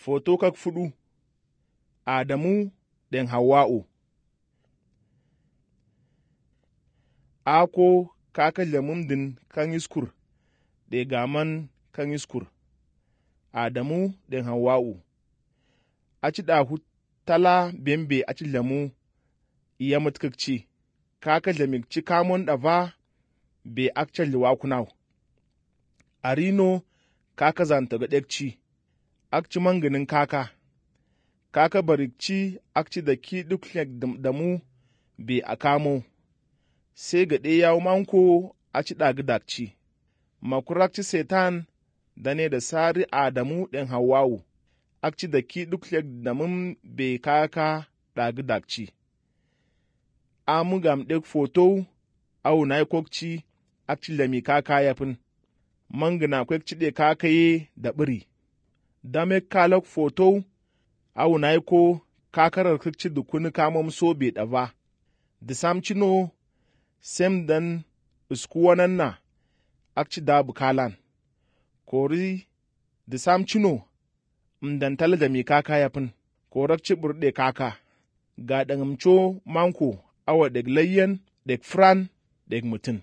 Foto kak fudu Adamu ɗen Hawwa'u. Ako kaka lamumdin kan iskur ɗe gaman kan iskur. Adamu ɗen Hawwa'u. Aci ɗahu tala bembe aci lamu iya mutkakci. Kaka lamikci kamon ɗava be akca liwakunaw. Arino kaka zanta ga ɗekci. Akci manginin kaka. Kaka barikci akci da ki duk damu be a kamo. Sai ga ɗe yawo manko aci ɗagi dakci. Makurakci setan dane da sari Adamu ɗen Hawwa'u. Akci da ki duk damun be kaka ɗagi dakci. Amu gam ɗek foto awu na kokci akci lami kaka yafin. Mangina kwekci ɗe kakaye da biri. Dame kalak foto awu na ko kakarar kikci dukuni kamam so be ɗava. Disamcino sem dan iskuwanan na akci dabu kalan. Kori disamcino mdantala da mi kaka yafin. Korakci burɗe kaka. Ga ɗangamco manko awa ɗek layyan ɗek fran ɗek mutum.